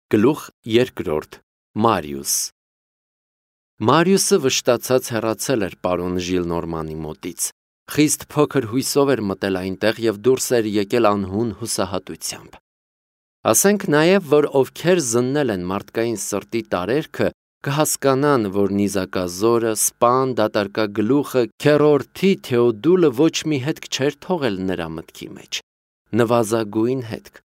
Գլուխ երկրորդ Մարիուս Մարիուսը վշտացած հեռացել էր պարոն Ժիլնորմանի մոտից, խիստ փոքր հույսով էր մտել այնտեղ և դուրս էր եկել անհուն հուսահատությամբ։ Ասենք նաև, որ ովքեր զննել են մարդկային սրտի տարերքը, կհասկանան, որ նիզակազորը, սպան, դատարկագլուխը, քեռորդի Թեոդուլը ոչ մի հետք չէր թողել նրա մտքի մեջ, նվազագույն հետք։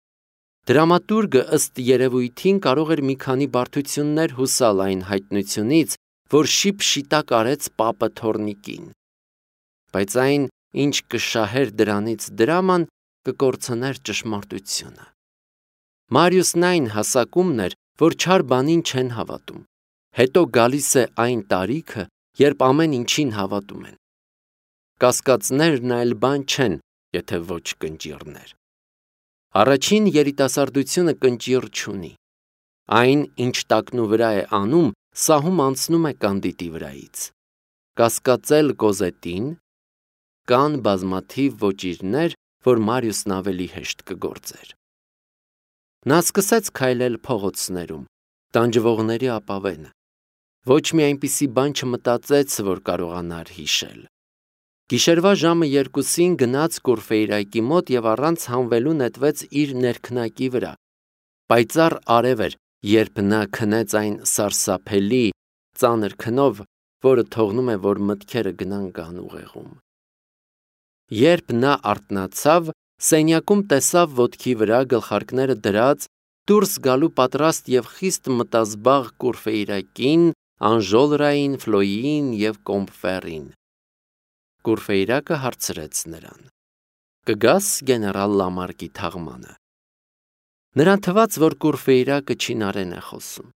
Դրամատուրգը ըստ երևույթին կարող էր մի քանի բարդություններ հուսալ այն հայտնությունից, որ շիպշիտակ արեց պապը թոռնիկին։ Բայց այն, ինչ կշահեր դրանից դրաման, կկորցներ ճշմարտությունը։ Մարիուսն այն հասակումն էր, որ չար բանին չեն հավատում։ Հետո գալիս է այն տարիքը, երբ ամեն ինչին հավատում են։ Կասկածներն այլ բան չեն, եթե ոչ կնճիռներ։ Առաջին երիտասարդությունը կնճիռ չունի։ Այն, ինչ տակնու վրա է անում, սահում անցնում է կանդիտի վրայից։ Կասկածել Կոզետին, կան բազմաթիվ ոճիրներ, որ Մարիուսն ավելի հեշտ կգործեր։ Նա սկսեց քայլել փողոցներում, տանջվողների ապավենը։ Ոչ մի այնպիսի բան չմտածեց, որ կարողանար հիշել։ Գիշերվա ժամը 2-ին գնաց Կուրֆեյրայկի մոտ և առանց հանվելու նետվեց իր ներքնակի վրա։ Պայծառ արև էր, երբ նա քնեց այն սարսափելի ծանր քնով, որը թողնում է, որ մտքերը գնան գանուղեղում։ Երբ նա արթնացավ, սենյակում տեսավ ոտքի վրա գլխարկները դրած, դուրս գալու պատրաստ և խիստ մտազբաղ Կուրֆեյրակին, Անժոլրային, Ֆլոյին և Կոմբֆերին։ Կուրֆեյրակը հարցրեց նրան. «Կգաս գեներալ Լամարկի թաղմանը»։ Նրան թվաց, որ Կուրֆեյրակը չինարեն է խոսում։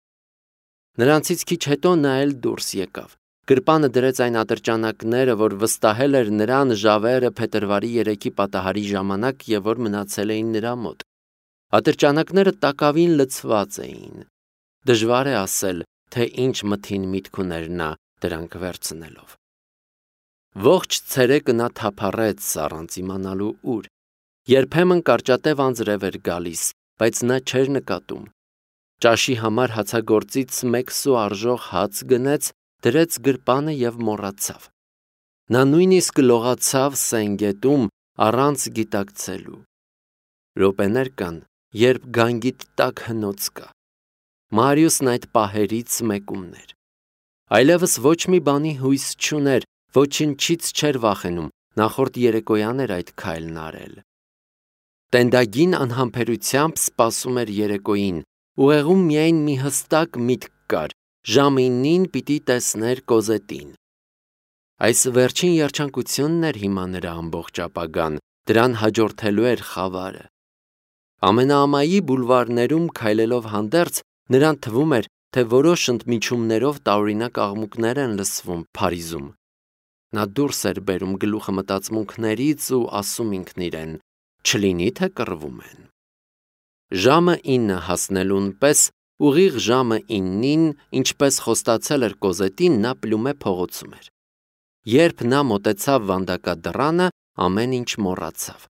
Նրանցից քիչ հետո նա էլ դուրս եկավ։ Գրպանը դրեց այն ատրճանակները, որ վստահել էր նրան Ժավերը փետրվարի 3-ի պատահարի ժամանակ և որ մնացել էին նրա մոտ։ Ատրճանակները տակավին լցված էին։ Դժվար է ասել, թե ինչ մթին միտք ուներ նա դրանք վերցնելով։ Ողջ ցերեկը նա թափառեց առանց իմանալու ուր։ Երբեմն կարճատև անձրև էր գալիս, բայց նա չէր նկատում։ Ճաշի համար հացագործից 1 սու արժող հաց գնեց, դրեց գրպանը և մոռացավ։ Նա նույնիսկ լողացավ Սենգետում առանց գիտակցելու։ Րոպեներ կան, երբ գանգիդ տակ հնոց կա։ Մարիուսն այդ պահերից մեկումն էր։ Այլևս ոչ մի բանի հույս չուներ, ոչնչից չէր վախենում, նախորդ երեկոյան էր այդ քայլն արել։ Տենդագին անհամբերությամբ սպասում էր երեկոյին, ուղեղում միայն մի հստակ միտք կար՝ ժամը 9-ին պիտի տեսներ Կոզետին։ Այս վերջին երջանկությունն էր հիմա նրա ամբողջ ապագան, դրան հաջորդելու էր խավարը։ Ամենաամայի բուլվարներում քայլելով հանդերձ, նրան թվում էր, թե որոշ ընդմիջումներով տարօրինակ աղմուկներ են լսվում Փարիզում։ Նա դուրս էր բերում գլուխը մտածմունքներից ու ասում ինքն իրեն. չլինի թե կռվում են։ Ժամը 9 հասնելուն պես, ուղիղ ժամը 9-ին, ինչպես խոստացել էր Կոզետին, նա Պլյումե փողոցում էր։ Երբ նա մոտեցավ վանդակադռանը, ամեն ինչ մոռացավ։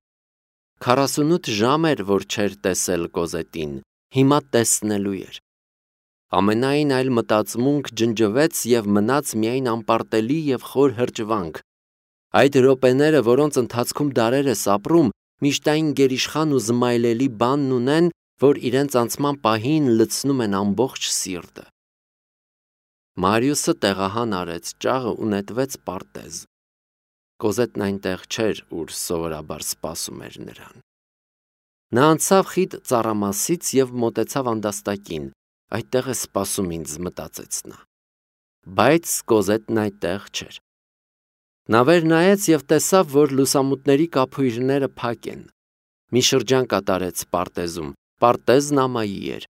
48 ժամ էր, որ չէր տեսել Կոզետին, հիմա տեսնելու էր։ Ամենայն այլ մտածմունք ջնջվեց և մնաց միայն անպարտելի և խոր հրճվանք։ Այդ րոպեները, որոնց ընթացքում դարեր ես ապրում, միշտ այն գերիշխան ու զմայլելի բանն ունեն, որ իրենց անցման պահին լցնում են ամբողջ սիրտը։ Մարիուսը տեղահան արեց ճաղը ու նետվեց պարտեզ։ Կոզետն այնտեղ չէր, ուր սովորաբար սպասում էր նրան։ Նա անցավ խիտ ծառամասից և մոտեցավ անդաստակին։ Այդտեղ է սպասում ինձ, մտածեց նա։ Բայց Կոզետն այդտեղ չէր։ Նա վեր նայեց և տեսավ, որ լուսամուտների կափույրները փակ են։ Մի շրջան կատարեց պարտեզում, պարտեզն ամայի էր։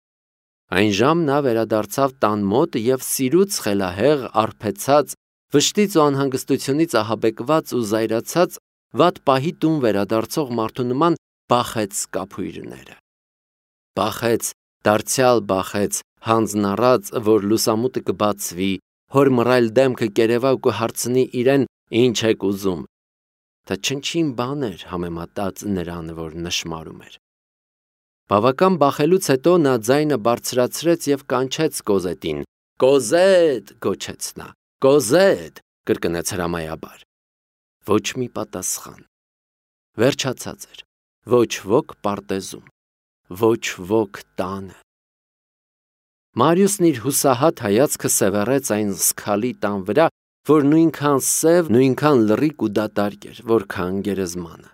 Այն ժամ նա վերադարձավ տան մոտ և սիրուց խելահեղ, արբեցած, վշտից ու անհանգստությունից ահաբեկված ու զայրացած, վատ պահի տուն վերադարձող մարդու նման բախեց կափույրները։ Բախեց, դարձյալ բախեց, հանձն առած, որ լուսամուտը կբացվի, հոր մռայլ դեմքը կերևա ու կհարցնի իրեն. «Ինչ եք ուզում»։ Դա չնչին բան էր համեմատած նրան, որ նշմարում էր։ Բավական բախելուց հետո նա ձայնը բարձրացրեց և կանչեց Կոզետին։ «Կոզետ», գոչեց նա, «Կոզետ», կրկնեց հրամայաբար։ Ոչ մի պատասխան։ Վերջացած էր։ Ոչ ոք պարտեզում, ոչ ոք տանը։ Մարիուսն իր հուսահատ հայացքը սևեռեց այն զգալի տան վրա, որ նույնքան սև, նույնքան լռիկ ու դատարկ էր, որքան գերեզմանը։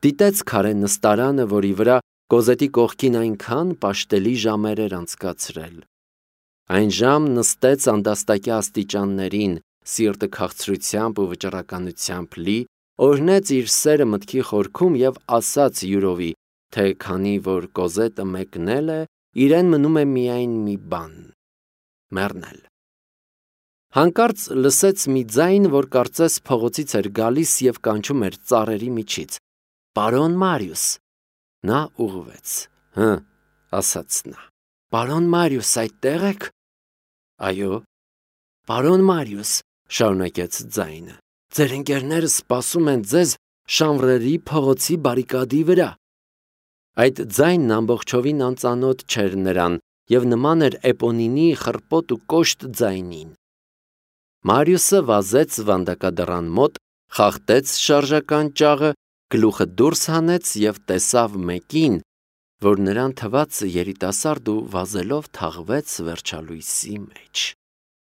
Դիտեց քարե նստարանը, որի վրա Կոզետի կողքին այնքան պաշտելի ժամեր էր անցկացրել։ Այն ժամ նստեց անդաստակյա աստիճաններին, սիրտը քաղցրությամբ ու վճռականությամբ լի, օրհնեց իր սերը մտքի խորքում և ասաց յուրովի, թե քանի որ Կոզետը մեկնել է, իրեն մնում է միայն մի բան՝ մեռնել։ Հանկարծ լսեց մի ձայն, որ կարծես փողոցից էր գալիս և կանչում էր ծառերի միջից. «Պարոն Մարիուս»։ Նա ուղղվեց։ «Հը», ասաց նա։ «Պարոն Մարիուս, այդտե՞ղ եք»։ «Այո»։ «Պարոն Մարիուս», շարունակեց ձայնը, «ձեր ընկերները սպասում են ձեզ Շանվրերի փողոցի բարիկադի վրա»։ Այդ ձայնն ամբողջովին անծանոթ չէր նրան և նման էր Էպոնինի խռպոտ ու կոշտ ձայնին։ Մարիուսը վազեց վանդակադռան մոտ, խախտեց շարժական ճաղը, գլուխը դուրս հանեց և տեսավ մեկին, որ նրան թվաց երիտասարդ ու վազելով թաղվեց վերջալույսի մեջ։